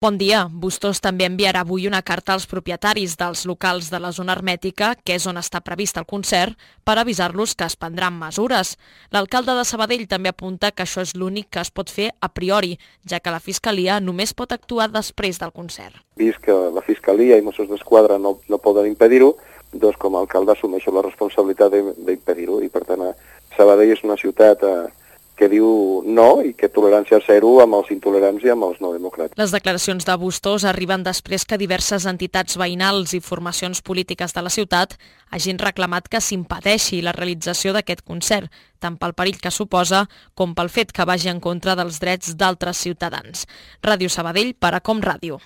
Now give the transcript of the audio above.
Bon dia. Bustos també enviarà avui una carta als propietaris dels locals de la zona hermètica, que és on està previst el concert, per avisar-los que es prendran mesures. L'alcalde de Sabadell també apunta que això és l'únic que es pot fer a priori, ja que la Fiscalia només pot actuar després del concert. Vist que la Fiscalia i Mossos d'Esquadra no poden impedir-ho, doncs com a alcalde assumeixo la responsabilitat d'impedir-ho, i per tant Sabadell és una ciutat que diu no i que tolerància zero amb els intolerants i amb els no democràtics. Les declaracions de Bustos arriben després que diverses entitats veïnals i formacions polítiques de la ciutat hagin reclamat que s'impedeixi la realització d'aquest concert, tant pel perill que suposa com pel fet que vagi en contra dels drets d'altres ciutadans. Ràdio Sabadell per Acom Ràdio.